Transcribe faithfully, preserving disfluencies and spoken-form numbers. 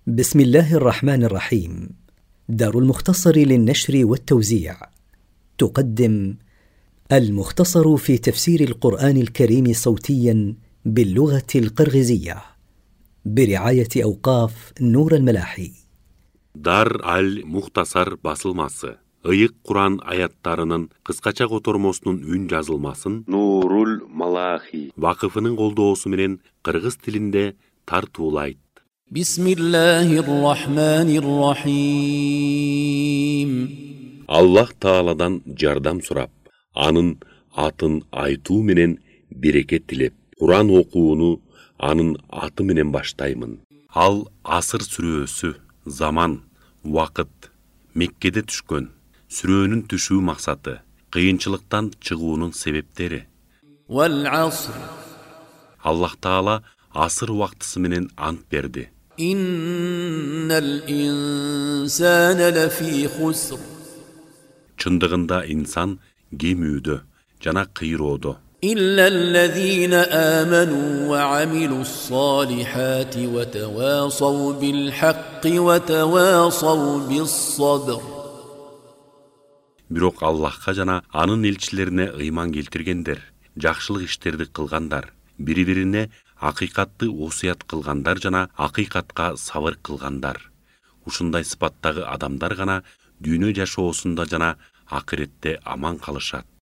بسم الله الرحمن الرحيم. دار المختصر للنشر والتوزيع تقدم المختصر في تفسير القرآن الكريم صوتيا باللغة القرغيزية برعاية أوقاف نور الملاحي. Дар аль-Мухтасар басылмасы. Ыйык Куран аяттарынын кыскача котормосунун үн жазылмасын Нурул Малахи вакыфынын колдоосу менен кыргыз тилинде тартуулайт. Бисмиллахир-рахманир-рахим. Аллах Тааладан жардам сурап, анын атын айтуу менен берекет тилеп, Куран окууну анын аты менен баштаймын. Ал асыр сүрөсү, заман, вакыт, Меккеде түшкөн. Сүрөнүн түшүү максаты, кыйынчылыктан чыгуунун себептери. Аллах Таала асыр убактысы менен ант берди. Чындыгында инсан кемүүдө жана кыйроодо. Иллаллазина аману ва амилус-солихати ва тавасау бил-хакки ва тавасау bis-сабр. Бирок Аллахка жана анын элчилерине ыйман келтиргендер, жакшылык иштерди кылгандар, бири-бирине акыйкатты осуят кылгандар жана акыйкатка сабыр кылгандар. Ушундай сыпаттагы адамдар гана дүйнө жашоосунда жана акыретте аман калышат.